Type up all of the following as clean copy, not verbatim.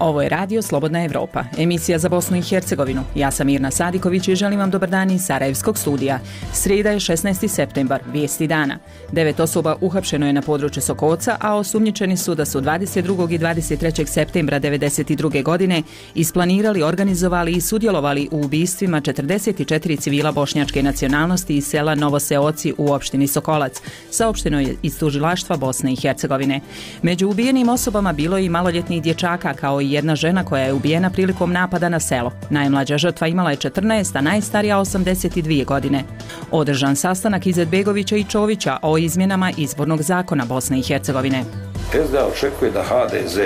Ovo je Radio Slobodna Evropa, emisija za Bosnu i Hercegovinu. Ja sam Mirna Sadiković i želim vam dobar dan iz Sarajevskog studija. Srijeda je 16. septembar, vijesti dana. 9 osoba uhapšeno je na području Sokoca, a osumnjičeni su da su 22. i 23. septembra 1992. godine isplanirali, organizovali i sudjelovali u ubistvima 44 civila bošnjačke nacionalnosti iz sela Novoseoci u opštini Sokolac, saopšteno je iz tužilaštva Bosne i Hercegovine. Među ubijenim osobama bilo je i maloljetnih dječaka, kao i jedna žena koja je ubijena prilikom napada na selo. Najmlađa žrtva imala je 14, a najstarija 82 godine. Održan sastanak Izetbegovića i Čovića o izmjenama izbornog zakona Bosne i Hercegovine. SDA očekuje da HDZ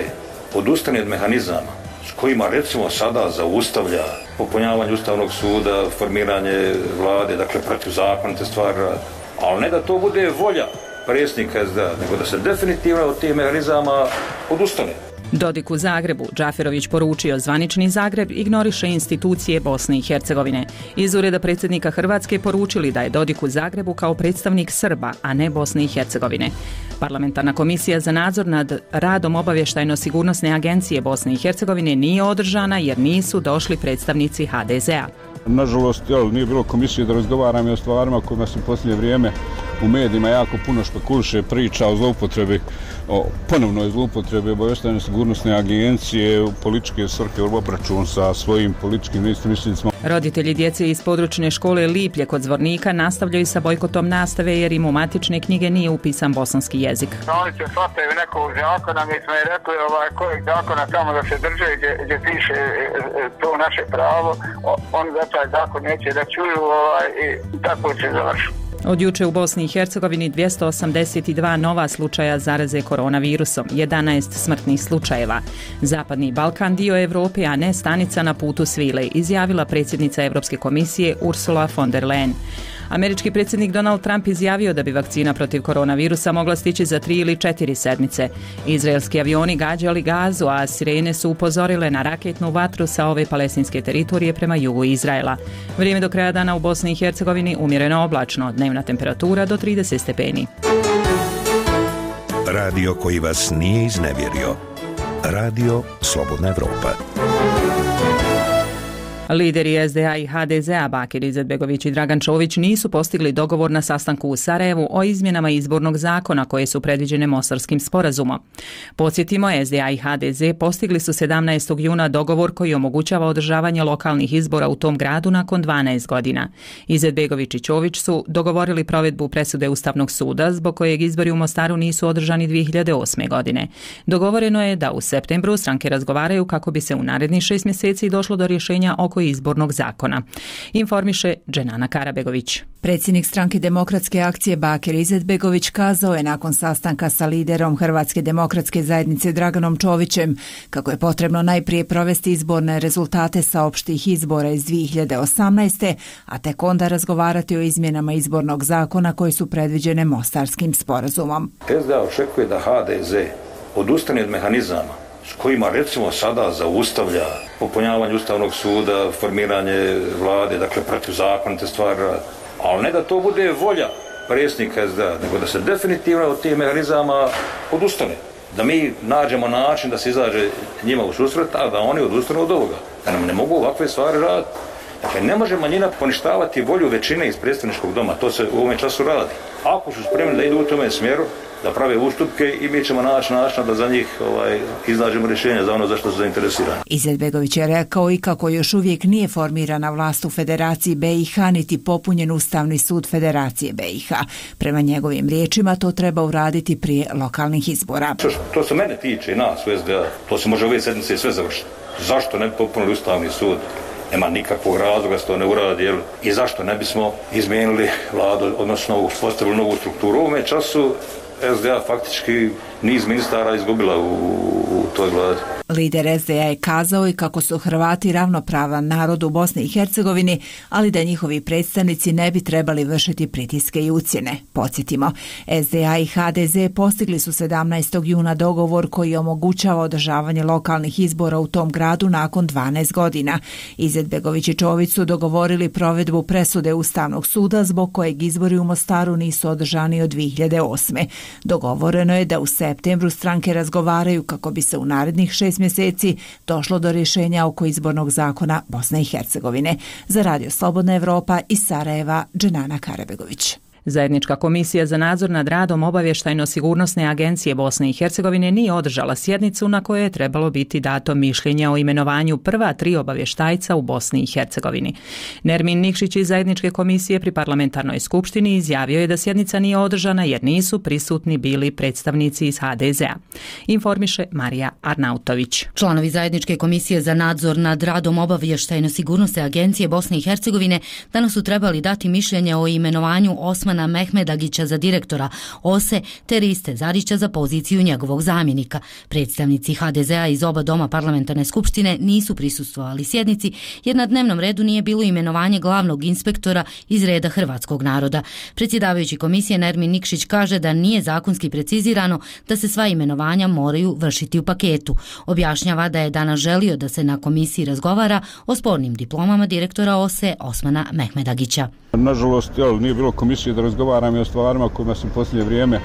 odustane od mehanizama s kojima recimo sada zaustavlja popunjavanje Ustavnog suda, formiranje vlade, dakle protivzakonite stvari, ali ne da to bude volja predsjednika SDA, nego da se definitivno od tih mehanizama odustane. Dodik u Zagrebu, Džaferović poručio zvanični Zagreb ignoriše institucije Bosne i Hercegovine. Iz ureda predsjednika Hrvatske poručili da je Dodik u Zagrebu kao predstavnik Srba, a ne Bosne i Hercegovine. Parlamentarna komisija za nadzor nad radom obavještajno-sigurnosne agencije Bosne i Hercegovine nije održana jer nisu došli predstavnici HDZ-a. Nažalost, nije bilo komisije da razgovaramo o stvarima kojima se u posljednje vrijeme u medijima jako puno špekuliše, priča o zloupotrebi, o ponovnoj zloupotrebi obavještajno sigurnosne agencije u političke svrhe u obračun sa svojim političkim neistomišljenicima. Roditelji djece iz područne škole Liplje kod Zvornika nastavljaju sa bojkotom nastave jer im u matične knjige nije upisan bosanski jezik. Oni se shvataju nekog zakona, mi smo i rekli kojeg zakona tamo da se drže gdje piše to naše pravo, oni za taj zakon neće da čuju i tako će završiti. Od juče u Bosni i Hercegovini 282 nova slučaja zaraze koronavirusom, 11 smrtnih slučajeva. Zapadni Balkan dio Evrope, a ne stanica na putu svile, izjavila predsjednica Europske komisije Ursula von der Leyen. Američki predsjednik Donald Trump izjavio da bi vakcina protiv koronavirusa mogla stići za 3 ili 4 sedmice. Izraelski avioni gađali Gazu, a sirene su upozorile na raketnu vatru sa ove palestinske teritorije prema jugu Izraela. Vrijeme do kraja dana u Bosni i Hercegovini umjereno oblačno, dnevna temperatura do 30 stepeni. Radio koji vas nije iznevjerio. Radio Slobodna Evropa. Lideri SDA i HDZ-a Bakir Izetbegović i Dragan Čović nisu postigli dogovor na sastanku u Sarajevu o izmjenama izbornog zakona koje su predviđene Mostarskim sporazumom. Podsjetimo, SDA i HDZ postigli su 17. juna dogovor koji omogućava održavanje lokalnih izbora u tom gradu nakon 12 godina. Izetbegović i Čović su dogovorili provedbu presude Ustavnog suda zbog kojeg izbori u Mostaru nisu održani 2008. godine. Dogovoreno je da u septembru stranke razgovaraju kako bi se u narednih 6 mjeseci došlo do rješenja oko izbornog zakona. Informiše Dženana Karabegović. Predsjednik stranke Demokratske akcije Bakir Izetbegović kazao je nakon sastanka sa liderom Hrvatske demokratske zajednice Draganom Čovićem kako je potrebno najprije provesti izborne rezultate sa opštih izbora iz 2018. a tek onda razgovarati o izmjenama izbornog zakona koji su predviđene Mostarskim sporazumom. SDA očekuje da HDZ odustane od mehanizama s kojima recimo sada zaustavlja popunjavanje Ustavnog suda, formiranje vlade, dakle protivzakonite stvari, ali ne da to bude volja predsjednika SDA, nego da se definitivno od tih mehanizama odustane. Da mi nađemo način da se izađe njima u susret, a da oni odustanu od ovoga. Da nam ne mogu ovakve stvari raditi. Dakle, ne može manjina poništavati volju većine iz predstavničkog doma, to se u ovom času radi. Ako su spremni da idu u tome smjeru, da prave ustupke i mi ćemo naći način da za njih iznađemo rješenje za ono za što su zainteresirani. Izetbegović je rekao i kako još uvijek nije formirana vlast u Federaciji BiH niti popunjen Ustavni sud Federacije BiH. Prema njegovim riječima to treba uraditi prije lokalnih izbora. To se mene tiče i nas u SDA, to se može ove sedmice i sve završiti. Zašto ne bi popunili Ustavni sud? Nema nikakvog razloga da se to ne uradi, i zašto ne bismo izmijenili vladu, odnosno uspostavili novu strukturu. U ovome času SDA faktički niz ministara izgubila u toj vladi. Lider SDA je kazao i kako su Hrvati ravnopravan narod u Bosni i Hercegovini, ali da njihovi predstavnici ne bi trebali vršiti pritiske i ucjene. Podsjetimo, SDA i HDZ postigli su 17. juna dogovor koji omogućava održavanje lokalnih izbora u tom gradu nakon 12 godina. Izetbegović i Čović su dogovorili provedbu presude Ustavnog suda zbog kojeg izbori u Mostaru nisu održani od 2008. Dogovoreno je da u septembru stranke razgovaraju kako bi se u narednih 6 mjeseci došlo do rješenja oko izbornog zakona Bosne i Hercegovine. Za Radio Slobodna Evropa iz Sarajeva, Dženana Karabegović. Zajednička komisija za nadzor nad radom Obavještajno-sigurnosne agencije Bosne i Hercegovine nije održala sjednicu na kojoj je trebalo biti dato mišljenje o imenovanju prva 3 obavještajca u Bosni i Hercegovini. Nermin Nikšić iz Zajedničke komisije pri parlamentarnoj skupštini izjavio je da sjednica nije održana jer nisu prisutni bili predstavnici iz HDZ-a. Informiše Marija Arnautović. Članovi Zajedničke komisije za nadzor nad radom Obavještajno-sigurnosne agencije Bosne i Hercegovine danas su trebali dati mišljenje o imenovanju Osmana Mehmedagića za direktora OSE te Riste Zarića za poziciju njegovog zamjenika. Predstavnici HDZ-a iz oba doma parlamentarne skupštine nisu prisustvovali sjednici jer na dnevnom redu nije bilo imenovanje glavnog inspektora iz reda hrvatskog naroda. Predsjedavajući komisije Nermin Nikšić kaže da nije zakonski precizirano da se sva imenovanja moraju vršiti u paketu. Objašnjava da je danas želio da se na komisiji razgovara o spornim diplomama direktora OSE Osmana Mehmedagića. Nažalost, nije bilo komisije da razgovaramo o stvarima kojima se u posljednje vrijeme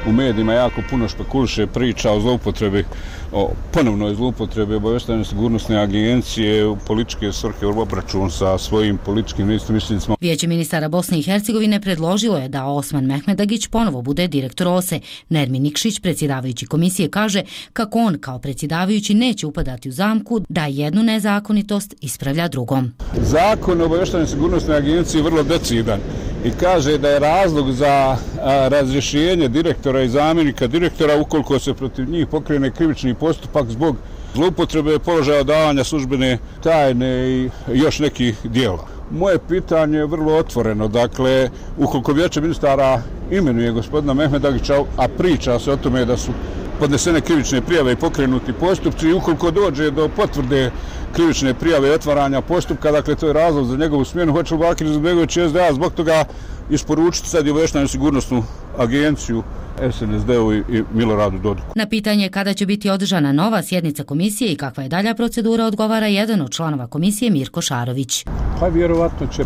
u medijima jako puno špekuliše, priča o zloupotrebi, o ponovnoj zloupotrebi Obavještajno-sigurnosne agencije u političke svrhe u obračun sa svojim političkim neistomišljenicima. Vijeće ministara Bosne i Hercegovine predložilo je da Osman Mehmedagić ponovo bude direktor OSE. Nermin Nikšić, predsjedavajući komisije, kaže kako on kao predsjedavajući neće upadati u zamku da jednu nezakonitost ispravlja drugom. Zakon o Obavještajno-sigurnosnoj agenciji je vrlo decidan i kaže da je razlog za razrješenje direktora i zamjenika direktora ukoliko se protiv njih pokrene krivični postupak zbog zloupotrebe položaja davanja službene tajne i još nekih djela. Moje pitanje je vrlo otvoreno. Dakle, ukoliko Vijeće ministara imenuje gospodina Mehmedagića, a priča se o tome da su podnesene krivične prijave i pokrenuti postupci i ukoliko dođe do potvrde krivične prijave i otvaranja postupka, dakle to je razlog za njegovu smjenu, hoće li Bakir Izetbegović i SDA zbog toga isporučiti sad i Obavještajno-sigurnosnu agenciju SNSD-u i Miloradu Dodiku. Na pitanje kada će biti održana nova sjednica komisije i kakva je dalja procedura odgovara jedan od članova komisije Mirko Šarović. Pa vjerovatno će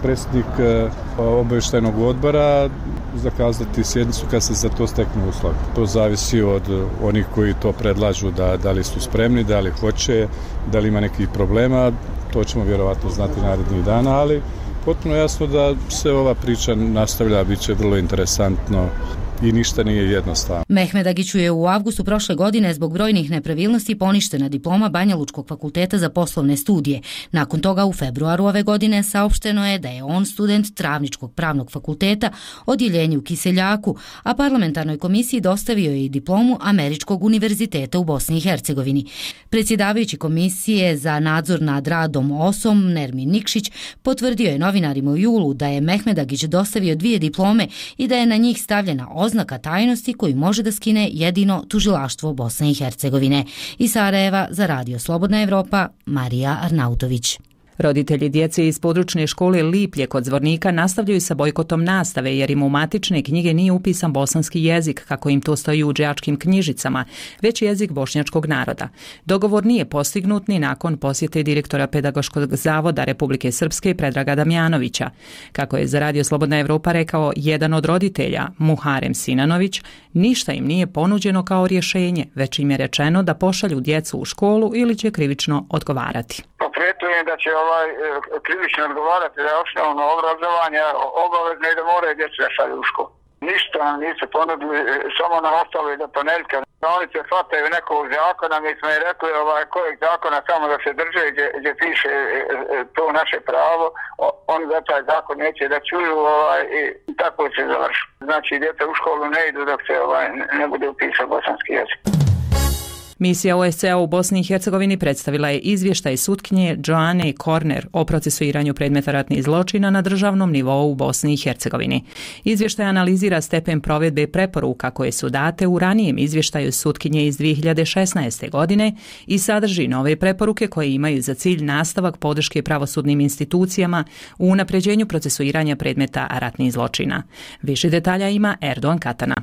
predsjednik obavještajnog odbora zakazati sjednicu kad se za to steknu uslovi. To zavisi od onih koji to predlažu da li su spremni, da li hoće, da li ima nekih problema. To ćemo vjerovatno znati narednih dana, ali potpuno jasno da se ova priča nastavlja, bit će vrlo interesantno i ništa nije jednostavno. Mehmedagiću je u avgustu prošle godine zbog brojnih nepravilnosti poništena diploma Banjalučkog fakulteta za poslovne studije. Nakon toga u februaru ove godine saopšteno je da je on student Travničkog pravnog fakulteta, odjeljenje u Kiseljaku, a parlamentarnoj komisiji dostavio je i diplomu Američkog univerziteta u Bosni i Hercegovini. Predsjedavajući komisije za nadzor nad radom OSOM Nermin Nikšić potvrdio je novinarima u julu da je Mehmedagić dostavio 2 diplome i da je na njih stavljena oznaka tajnosti koju može da skine jedino tužilaštvo Bosne i Hercegovine. Iz Sarajeva za Radio Slobodna Evropa, Marija Arnautović. Roditelji djece iz područne škole Liplje kod Zvornika nastavljaju sa bojkotom nastave jer im u matične knjige nije upisan bosanski jezik, kako im to stoji u đačkim knjižicama, već jezik bošnjačkog naroda. Dogovor nije postignut ni nakon posjete direktora Pedagoškog zavoda Republike Srpske Predraga Damjanovića. Kako je za Radio Slobodna Evropa rekao jedan od roditelja, Muharem Sinanović, ništa im nije ponuđeno kao rješenje, već im je rečeno da pošalju djecu u školu ili će krivično odgovarati. Prijetujem da će krivično odgovarati za osnovno obrazovanje obavezno i da moraju djecu da šalju u školu. Ništa nam nisu ponudili, samo nam ostalo i do ponedjeljka. Oni se shvataju nekog zakona, mi smo i rekli kojeg zakona samo da se drže gdje piše to naše pravo, oni za taj zakon neće da čuju i tako će završiti. Znači djeca u školu ne idu dok se ne bude upisan bosanski jezik. Misija OSCE u Bosni i Hercegovini predstavila je izvještaj sutkinje Joane Korner o procesuiranju predmeta ratnih zločina na državnom nivou u Bosni i Hercegovini. Izvještaj analizira stepen provedbe preporuka koje su date u ranijem izvještaju sutkinje iz 2016. godine i sadrži nove preporuke koje imaju za cilj nastavak podrške pravosudnim institucijama u unapređenju procesuiranja predmeta ratnih zločina. Više detalja ima Erdogan Katana.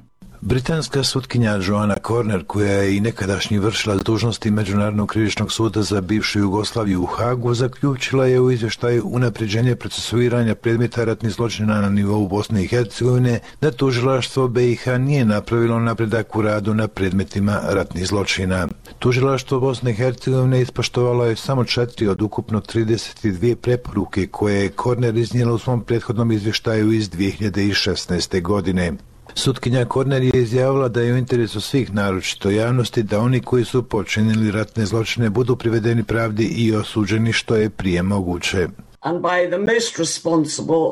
Britanska sutkinja Joanna Corner, koja je i nekadašnji vršila dužnosti Međunarodnog krivičnog suda za bivšu Jugoslaviju u Hagu, zaključila je u izvještaju unapređenje procesuiranja predmeta ratnih zločina na nivou Bosne i Hercegovine da tužilaštvo BiH nije napravilo napredak u radu na predmetima ratnih zločina. Tužilaštvo Bosne i Hercegovine ispoštovalo je samo 4 od ukupno 32 preporuke koje je Corner iznijela u svom prethodnom izvještaju iz 2016. godine. Sutkinja Corner je izjavila da je u interesu svih, naročito javnosti, da oni koji su počinili ratne zločine budu privedeni pravdi i osuđeni što je prije moguće. And by the most responsible,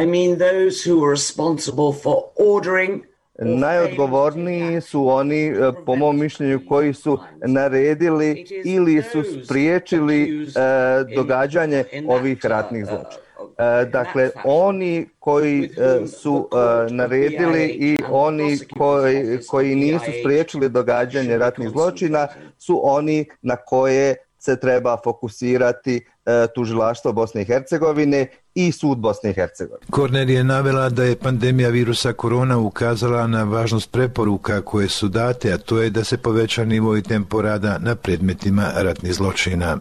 I mean those who are responsible for ordering. Najodgovorniji su oni, po mom mišljenju, koji su naredili ili su spriječili događanje ovih ratnih zločina. Dakle, oni koji su naredili i oni koji nisu spriječili događanje ratnih zločina su oni na koje se treba fokusirati tužilaštvo Bosne i Hercegovine i sud Bosne i Hercegovine. Corner je navela da je pandemija virusa korona ukazala na važnost preporuka koje su date, a to je da se poveća nivo i tempo rada na predmetima ratnih zločina.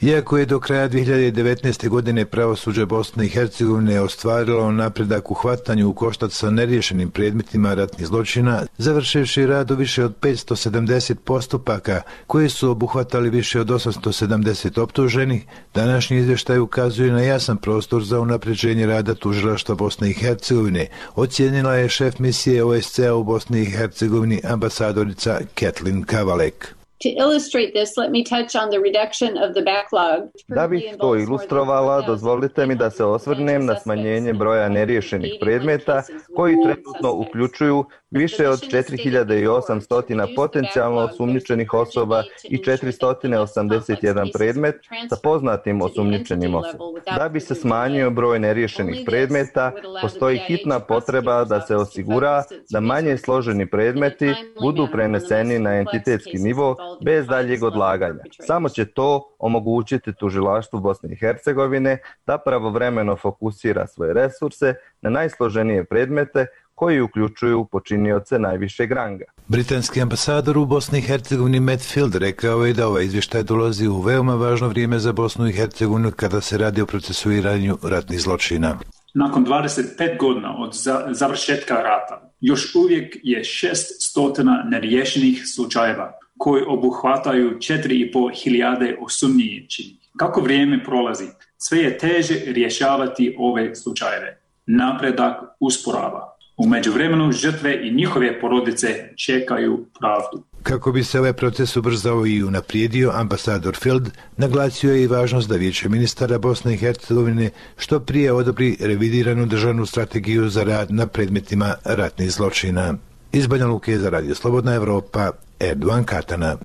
Iako je do kraja 2019. godine pravosuđe Bosne i Hercegovine ostvarilo napredak u hvatanju u koštac sa neriješenim predmetima ratnih zločina, završivši rad u više od 570 postupaka koji su obuhvatali više od 870 optuženih, današnji izvještaj ukazuje na jasan prostor za unapređenje rada tužilaštva Bosne i Hercegovine, ocijenila je šef misije OSCE u Bosni i Hercegovini ambasadorica Kathleen Kavalek. To illustrate this, let me touch on the reduction of the backlog. Da bih to ilustrovala, dozvolite mi da se osvrnem na smanjenje broja neriješenih predmeta koji trenutno uključuju više od 4800 potencijalno osumnjičenih osoba i 481 predmet sa poznatim osumnjičenim osobama. Da bi se smanjio broj neriješenih predmeta, postoji hitna potreba da se osigura da manje složeni predmeti budu preneseni na entitetski nivo bez daljeg odlaganja. Samo će to omogućiti tužilaštvu Bosne i Hercegovine da pravovremeno fokusira svoje resurse na najsloženije predmete koji uključuju počinioce najvišeg ranga. Britanski ambasador u Bosni i Hercegovini Matt Field rekao je da ovaj izvještaj dolazi u veoma važno vrijeme za Bosnu i Hercegovinu kada se radi o procesuiranju ratnih zločina. Nakon 25 godina od završetka rata, još uvijek je 600 neriješenih slučajeva koji obuhvataju 4.500 osumnjičenih. Kako vrijeme prolazi, sve je teže rješavati ove slučajeve. Napredak usporava. U međuvremenu žrtve i njihove porodice čekaju pravdu. Kako bi se ovaj proces ubrzao i unaprijedio, ambasador Field naglasio je i važnost da Vijeće ministara Bosne i Hercegovine što prije odobri revidiranu državnu strategiju za rad na predmetima ratnih zločina. Iz Banja Luke za Radio Slobodna Evropa, Erdogan Katana.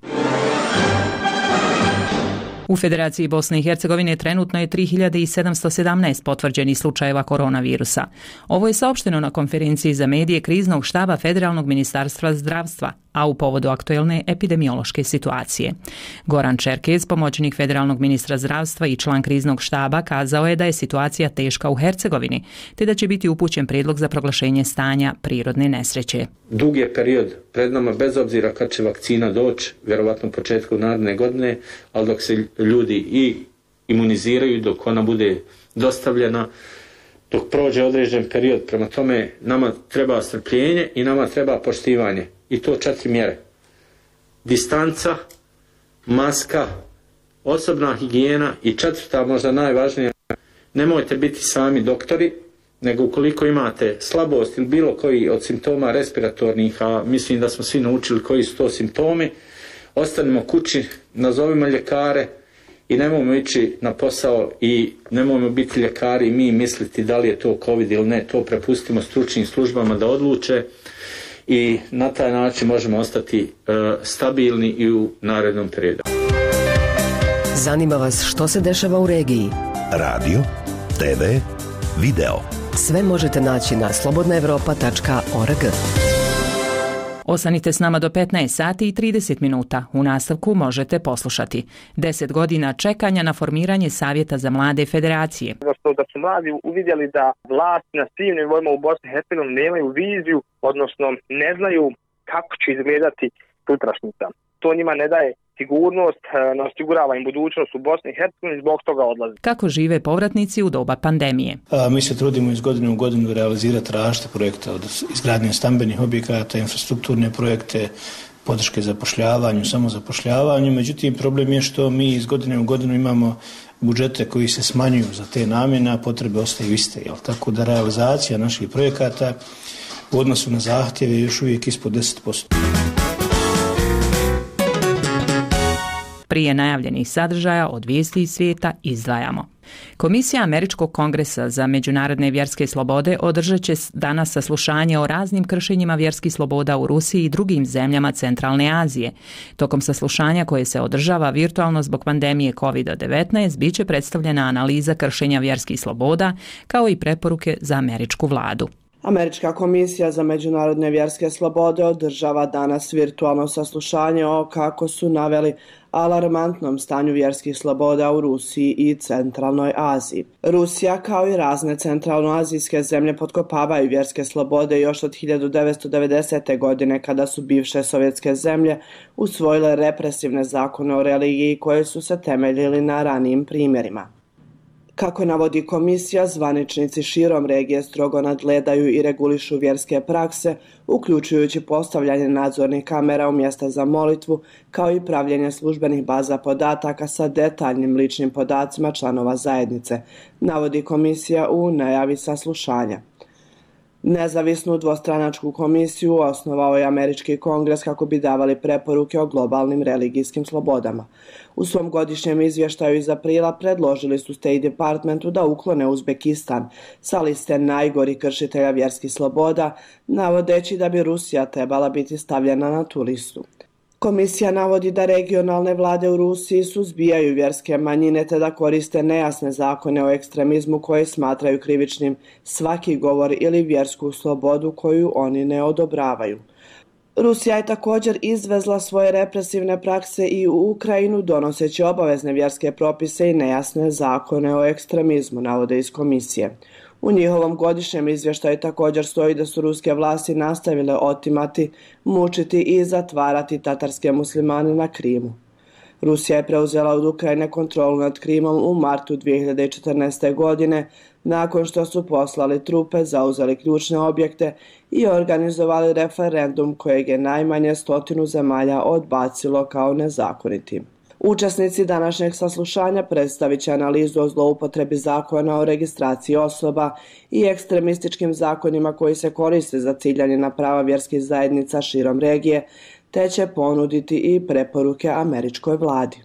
U Federaciji Bosne i Hercegovine trenutno je 3717 potvrđenih slučajeva koronavirusa. Ovo je saopšteno na konferenciji za medije kriznog štaba Federalnog ministarstva zdravstva, a u povodu aktuelne epidemiološke situacije. Goran Čerkez, pomoćnik federalnog ministra zdravstva i član kriznog štaba, kazao je da je situacija teška u Hercegovini, te da će biti upućen prijedlog za proglašenje stanja prirodne nesreće. Dug je period pred nama, bez obzira kad će vakcina doći, vjerovatno početku naredne godine, ali dok se ljudi i imuniziraju, dok ona bude dostavljena, dok prođe određen period. Prema tome, nama treba strpljenje i nama treba poštivanje. I to 4 mjere. Distanca, maska, osobna higijena i 4. možda najvažnija, nemojte biti sami doktori, nego ukoliko imate slabost ili bilo koji od simptoma respiratornih, a mislim da smo svi naučili koji su to simptomi, ostanimo kući, nazovimo ljekare i nemojmo ići na posao i nemojmo biti ljekari i mi misliti da li je to COVID ili ne. To prepustimo stručnim službama da odluče i na taj način možemo ostati stabilni i u narednom periodu. Zanima vas što se dešava u regiji? Radio, TV, video. Sve možete naći na slobodnaevropa.org. Ostanite s nama do 15 sati i 30 minuta. U nastavku možete poslušati 10 godina čekanja na formiranje Savjeta za mlade federacije. Da su mladi uvidjeli da vlast na svim nivoima u Bosni i Hercegovini nemaju viziju, odnosno ne znaju kako će izgledati sutrašnjica. To njima ne daje sigurnost, ne osigurava im budućnost u Bosni i Hercegovini, zbog toga odlaze. Kako žive povratnici u doba pandemije? Mi se trudimo iz godine u godinu realizirati različite projekte, od izgradnje stambenih objekata, infrastrukturne projekte, podrške zapošljavanju, samozapošljavanju. Međutim, problem je što mi iz godine u godinu imamo budžete koji se smanjuju za te namjene, a potrebe ostaju iste. Tako da realizacija naših projekata u odnosu na zahtjeve je još uvijek ispod 10%. Prije najavljenih sadržaja od vijesti iz svijeta izdvajamo. Komisija Američkog kongresa za međunarodne vjerske slobode održat će danas saslušanje o raznim kršenjima vjerskih sloboda u Rusiji i drugim zemljama Centralne Azije. Tokom saslušanja koje se održava virtualno zbog pandemije COVID-19 bit će predstavljena analiza kršenja vjerskih sloboda kao i preporuke za američku vladu. Američka komisija za međunarodne vjerske slobode održava danas virtualno saslušanje o, kako su naveli, alarmantnom stanju vjerskih sloboda u Rusiji i Centralnoj Aziji. Rusija kao i razne centralnoazijske zemlje potkopavaju vjerske slobode još od 1990. godine kada su bivše sovjetske zemlje usvojile represivne zakone o religiji koje su se temeljili na ranijim primjerima. Kako navodi komisija, zvaničnici širom regije strogo nadgledaju i regulišu vjerske prakse, uključujući postavljanje nadzornih kamera u mjesta za molitvu, kao i pravljenje službenih baza podataka sa detaljnim ličnim podacima članova zajednice, navodi komisija u najavi saslušanja. Nezavisnu dvostranačku komisiju osnovao je Američki kongres kako bi davali preporuke o globalnim religijskim slobodama. U svom godišnjem izvještaju iz aprila predložili su State Departmentu da uklone Uzbekistan sa liste najgorih kršitelja vjerskih sloboda, navodeći da bi Rusija trebala biti stavljena na tu listu. Komisija navodi da regionalne vlade u Rusiji suzbijaju vjerske manjine te da koriste nejasne zakone o ekstremizmu koje smatraju krivičnim svaki govor ili vjersku slobodu koju oni ne odobravaju. Rusija je također izvezla svoje represivne prakse i u Ukrajinu donoseći obavezne vjerske propise i nejasne zakone o ekstremizmu, navode iz komisije. U njihovom godišnjem izvještaju također stoji da su ruske vlasti nastavile otimati, mučiti i zatvarati tatarske muslimane na Krimu. Rusija je preuzela od Ukrajine kontrolu nad Krimom u martu 2014. godine, nakon što su poslali trupe, zauzeli ključne objekte i organizovali referendum kojeg je najmanje 100 zemalja odbacilo kao nezakonitim. Učesnici današnjeg saslušanja predstavit će analizu o zloupotrebi zakona o registraciji osoba i ekstremističkim zakonima koji se koriste za ciljanje na prava vjerskih zajednica širom regije, te će ponuditi i preporuke američkoj vladi.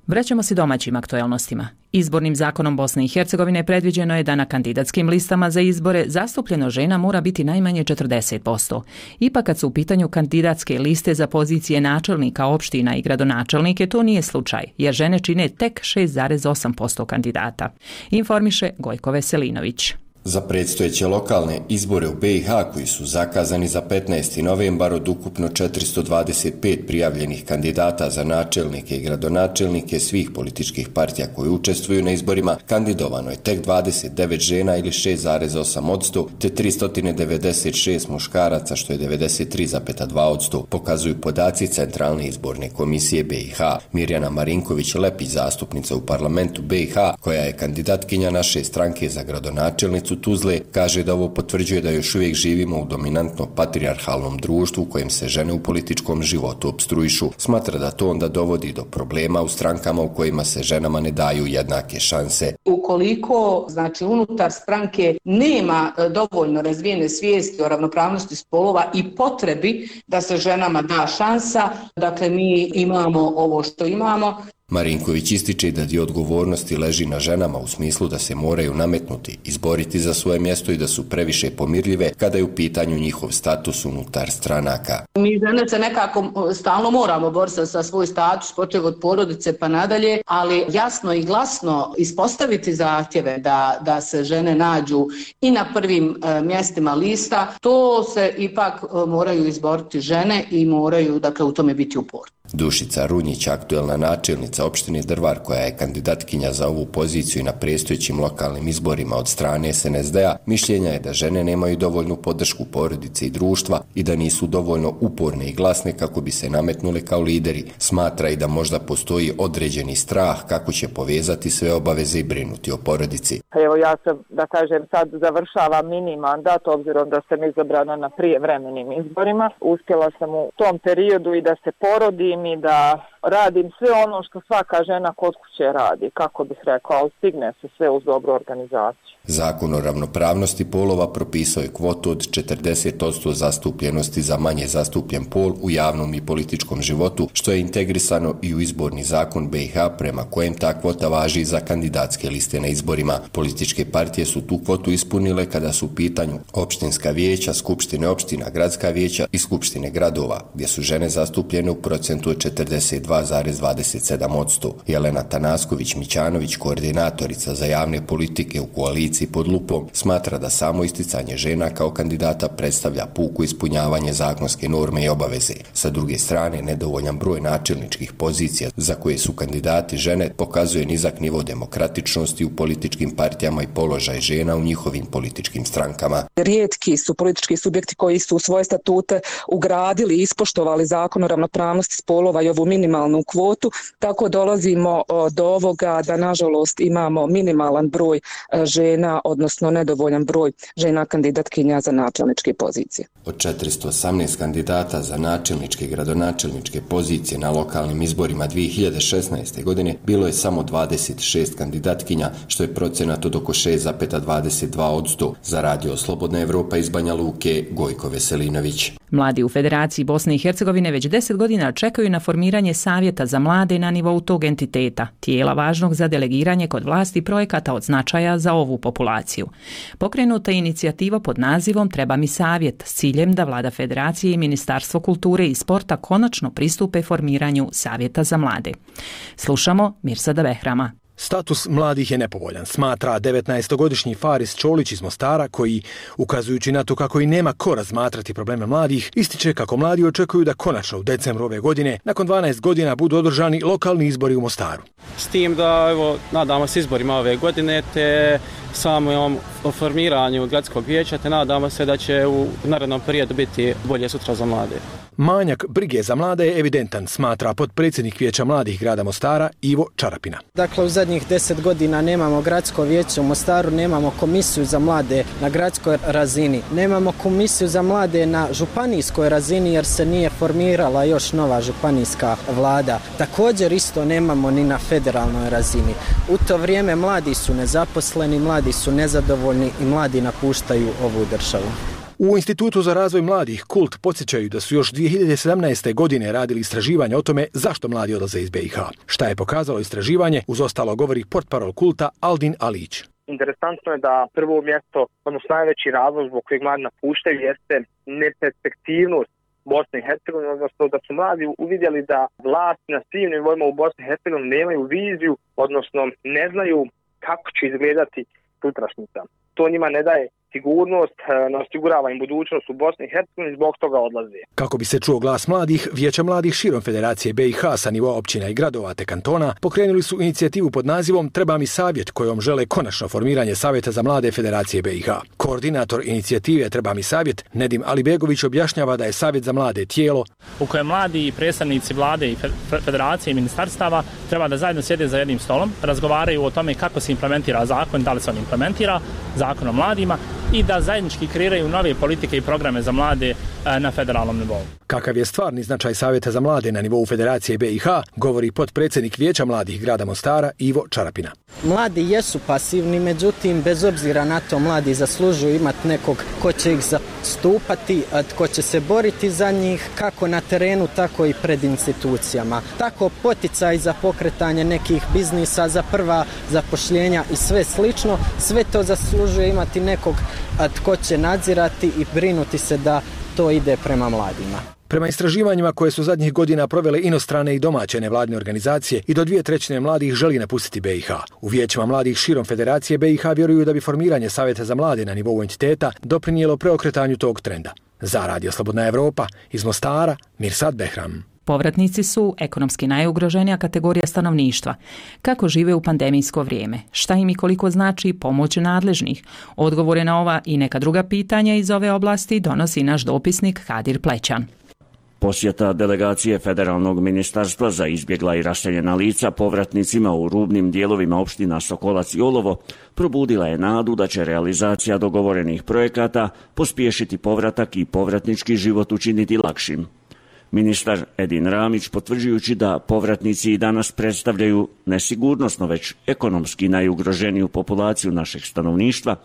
Vraćamo se domaćim aktualnostima. Izbornim zakonom Bosne i Hercegovine predviđeno je da na kandidatskim listama za izbore zastupljeno žena mora biti najmanje 40%. Ipak kad su u pitanju kandidatske liste za pozicije načelnika opština i gradonačelnike, to nije slučaj, jer žene čine tek 6,8% kandidata. Informiše Gojko Veselinović. Za predstojeće lokalne izbore u BiH koji su zakazani za 15. novembar od ukupno 425 prijavljenih kandidata za načelnike i gradonačelnike svih političkih partija koji učestvuju na izborima, kandidovano je tek 29 žena ili 6,8%, te 396 muškaraca što je 93,2%, pokazuju podaci Centralne izborne komisije BiH. Mirjana Marinković-Lepić, zastupnica u parlamentu BiH, koja je kandidatkinja naše stranke za gradonačelnicu Tuzle, kaže da ovo potvrđuje da još uvijek živimo u dominantno patrijarhalnom društvu u kojem se žene u političkom životu opstruišu. Smatra da to onda dovodi do problema u strankama u kojima se ženama ne daju jednake šanse. Ukoliko, unutar stranke nema dovoljno razvijene svijesti o ravnopravnosti spolova i potrebi da se ženama da šansa, dakle mi imamo ovo što imamo, Marinković ističe da dio odgovornosti leži na ženama u smislu da se moraju nametnuti, izboriti za svoje mjesto i da su previše pomirljive kada je u pitanju njihov status unutar stranaka. Mi žene se nekako stalno moramo boriti za svoj status, počev od porodice pa nadalje, ali jasno i glasno ispostaviti zahtjeve da se žene nađu i na prvim mjestima lista, to se ipak moraju izboriti žene i moraju u tome biti uporni. Dušica Runjić, aktuelna načelnica opštine Drvar, koja je kandidatkinja za ovu poziciju i na predstojećim lokalnim izborima od strane SNSD-a, mišljenja je da žene nemaju dovoljnu podršku porodice i društva i da nisu dovoljno uporne i glasne kako bi se nametnule kao lideri. Smatra i da možda postoji određeni strah kako će povezati sve obaveze i brinuti o porodici. Evo ja sam, da kažem, sad završavam mini mandat, obzirom da sam izabrana na prijevremenim izborima. Uspjela sam u tom periodu i da se porodim i da radim sve ono što svaka žena kod kuće radi, kako bih rekao, ali stigne se sve uz dobru organizaciju. Zakon o ravnopravnosti polova propisao je kvotu od 40% zastupljenosti za manje zastupljen pol u javnom i političkom životu, što je integrisano i u izborni zakon BiH, prema kojem ta kvota važi za kandidatske liste na izborima. Političke partije su tu kvotu ispunile kada su u pitanju opštinska vijeća, skupštine opština, gradska vijeća i skupštine gradova, gdje su žene zastupljene u procentu od 42,27%. Jelena Tanasković-Mićanović, koordinatorica za javne politike u koaliciji Pod lupom, smatra da samo isticanje žena kao kandidata predstavlja puko ispunjavanje zakonske norme i obaveze. Sa druge strane, nedovoljan broj načelničkih pozicija za koje su kandidati žene pokazuje nizak nivo demokratičnosti u političkim partijama i položaj žena u njihovim političkim strankama. Rijetki su politički subjekti koji su u svoje statute ugradili i ispoštovali zakon o ravnopravnosti spolova i ovu minimalnu kvotu, tako dolazimo do ovoga da nažalost imamo minimalan broj žena, odnosno nedovoljan broj žena kandidatkinja za načelničke pozicije. Od 418 kandidata za načelničke i gradonačelničke pozicije na lokalnim izborima 2016. godine bilo je samo 26 kandidatkinja, što je procenat od oko 6,22%. Za Radio Slobodna Evropa iz Banja Luke, Gojko Veselinović. Mladi u Federaciji Bosne i Hercegovine već 10 godina čekaju na formiranje savjeta za mlade na nivou tog entiteta, tijela važnog za delegiranje kod vlasti projekata od značaja za ovu populaciju. Pokrenuta je inicijativa pod nazivom Treba mi savjet s ciljem da Vlada Federacije i Ministarstvo kulture i sporta konačno pristupe formiranju savjeta za mlade. Slušamo Mirsada Behrama. Status mladih je nepovoljan, smatra 19-godišnji Faris Čolić iz Mostara, koji, ukazujući na to kako i nema ko razmatrati probleme mladih, ističe kako mladi očekuju da konačno u decembru ove godine, nakon 12 godina, budu održani lokalni izbori u Mostaru. S tim da, nadamo se izborima ove godine, te samom o formiranju gradskog vijeća, te nadamo se da će u narednom periodu biti bolje sutra za mlade. Manjak brige za mlade je evidentan, smatra potpredsjednik Vijeća mladih grada Mostara Ivo Čarapina. Dakle, u zadnjih 10 godina nemamo gradsko vijeće u Mostaru, nemamo komisiju za mlade na gradskoj razini, nemamo komisiju za mlade na županijskoj razini jer se nije formirala još nova županijska vlada. Također isto nemamo ni na federalnoj razini. U to vrijeme mladi su nezaposleni, mladi su nezadovoljni i mladi napuštaju ovu državu. U Institutu za razvoj mladih Kult podsjećaju da su još 2017. godine radili istraživanje o tome zašto mladi odlaze iz BiH. Šta je pokazalo istraživanje, uz ostalo govori portparol Kulta Aldin Alić. Interesantno je da prvo mjesto, odnosno najveći razlog zbog kojeg mladi napuštaju, jeste neperspektivnost Bosne i Hercegovine, odnosno da su mladi uvidjeli da vlast na svim nivoima u Bosni i Hercegovini nemaju viziju, odnosno ne znaju kako će izgledati sutrašnjica. To njima ne daje sigurnost, ne osigurava im budućnost u Bosni i Hercegovini, zbog toga odlaze. Kako bi se čuo glas mladih, Vijeća mladih širom Federacije BiH sa nivoa općina i gradova te kantona pokrenuli su inicijativu pod nazivom Treba mi savjet, kojom žele konačno formiranje Savjeta za mlade Federacije BiH. Koordinator inicijative Treba mi savjet, Nedim Alibegović, objašnjava da je Savjet za mlade tijelo u kojem mladi i predstavnici vlade i federacije i ministarstava treba da zajedno sjede za jednim stolom, razgovaraju o tome kako se implementira zakon, da li se on implementira, zakon o mladima, i da zajednički kreiraju nove politike i programe za mlade na federalnom nivou. Kakav je stvarni značaj Savjeta za mlade na nivou Federacije BiH, govori potpredsjednik Vijeća mladih grada Mostara Ivo Čarapina. Mladi jesu pasivni, međutim, bez obzira na to, mladi zaslužuju imati nekog ko će ih zastupati, ko će se boriti za njih, kako na terenu, tako i pred institucijama. Tako poticaj za pokretanje nekih biznisa, za prva zapošljenja i sve slično, sve to zaslužuje imati nekog tko će nadzirati i brinuti se da to ide prema mladima. Prema istraživanjima koje su zadnjih godina provele inostrane i domaće nevladine organizacije, i do 2/3 mladih želi napustiti BiH. U vijećima mladih širom Federacije BiH vjeruju da bi formiranje Savjeta za mlade na nivou entiteta doprinijelo preokretanju tog trenda. Za Radio Slobodna Evropa, iz Mostara, Mirsad Behram. Povratnici su ekonomski najugroženija kategorija stanovništva. Kako žive u pandemijsko vrijeme? Šta im i koliko znači pomoć nadležnih? Odgovore na ova i neka druga pitanja iz ove oblasti donosi naš dopisnik Kadir Plećan. Posjeta delegacije Federalnog ministarstva za izbjegla i raseljena lica povratnicima u rubnim dijelovima opština Sokolac i Olovo probudila je nadu da će realizacija dogovorenih projekata pospješiti povratak i povratnički život učiniti lakšim. Ministar Edin Ramić, potvrđujući da povratnici i danas predstavljaju nesigurnosno već ekonomski najugroženiju populaciju našeg stanovništva,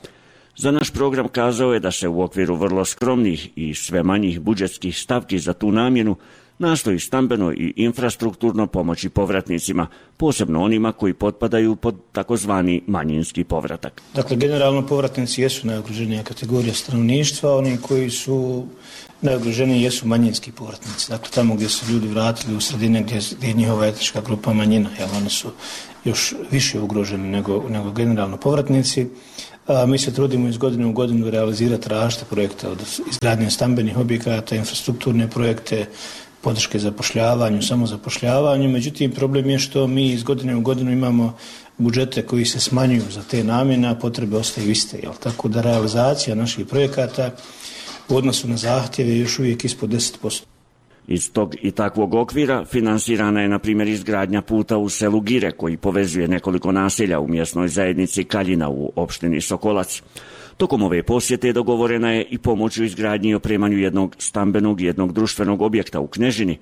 za naš program kazao je da se u okviru vrlo skromnih i sve manjih budžetskih stavki za tu namjenu nastoji stambeno i infrastrukturno pomoći povratnicima, posebno onima koji potpadaju pod takozvani manjinski povratak. Dakle, generalno povratnici jesu najugroženija kategorija stanovništva, oni koji su najugroženiji jesu manjinski povratnici. Dakle, tamo gdje su ljudi vratili u sredine gdje je njihova etnička grupa manjina, jer oni su još više ugroženi nego generalno povratnici. Mi se trudimo iz godine u godinu realizirati različite projekte, od izgradnje stambenih objekata, infrastrukturne projekte, podrške zapošljavanju, samozapošljavanju. Međutim, problem je što mi iz godine u godinu imamo budžete koji se smanjuju za te namjene, a potrebe ostaju iste. Tako da realizacija naših projekata u odnosu na zahtjeve je još uvijek ispod 10%. Iz tog i takvog okvira finansirana je, na primjer, izgradnja puta u selu Gire, koji povezuje nekoliko naselja u mjesnoj zajednici Kaljina u opštini Sokolac. Tokom ove posjete dogovorena je i pomoć u izgradnji i opremanju jednog stambenog i jednog društvenog objekta u Knežini,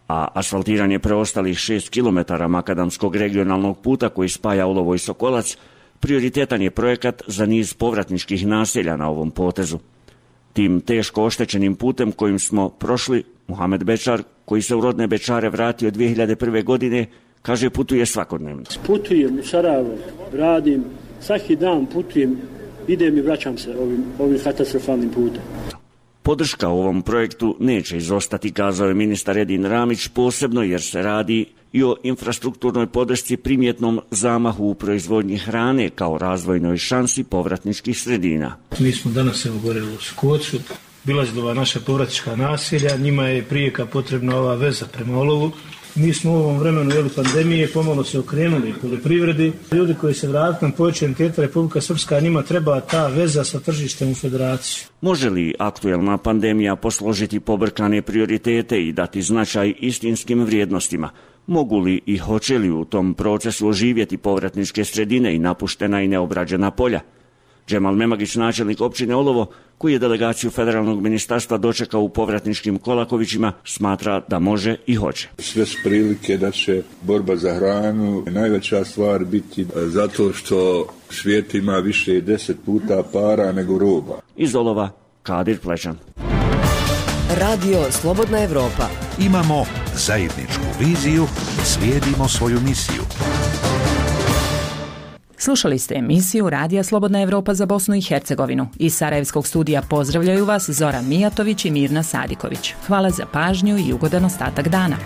a asfaltiranje preostalih 6 km makadamskog regionalnog puta koji spaja Olovo i Sokolac prioritetan je projekat za niz povratničkih naselja na ovom potezu. Tim teško oštećenim putem kojim smo prošli, Muhamed Bečar, koji se u rodne Bečare vratio 2001. godine, kaže putuje svakodnevno. Putujem u Sarajevo, radim, svaki dan putujem, idem i vraćam se ovim katastrofalnim putem. Podrška ovom projektu neće izostati, kazao je ministar Edin Ramić, posebno jer se radi i o infrastrukturnoj podršci primjetnom zamahu u proizvodnji hrane kao razvojnoj šansi povratničkih sredina. Mi smo danas goreli u Skocu, bilazili ova naša povratnička naselja, njima je prijeka potrebna ova veza prema Olovu. Mi smo u ovom vremenu pandemije pomalo se okrenuli poljoprivredi. Ljudi koji se vratili na područje entiteta Republika Srpska, njima treba ta veza sa tržištem u federaciju. Može li aktuelna pandemija posložiti pobrkane prioritete i dati značaj istinskim vrijednostima? Mogu li i hoće li u tom procesu oživjeti povratničke sredine i napuštena i neobrađena polja? Džemal Memagić, načelnik općine Olovo, koji je delegaciju Federalnog ministarstva dočekao u povratničkim Kolakovićima, smatra da može i hoće. Sve su prilike da će borba za hranu najveća stvar biti zato što svijet ima više 10 puta para nego roba. Iz Olova, Kadir Plećan. Radio Slobodna Evropa. Imamo zajedničku viziju, slijedimo svoju misiju. Slušali ste emisiju Radija Slobodna Evropa za Bosnu i Hercegovinu. Iz Sarajevskog studija pozdravljaju vas Zoran Mijatović i Mirna Sadiković. Hvala za pažnju i ugodan ostatak dana.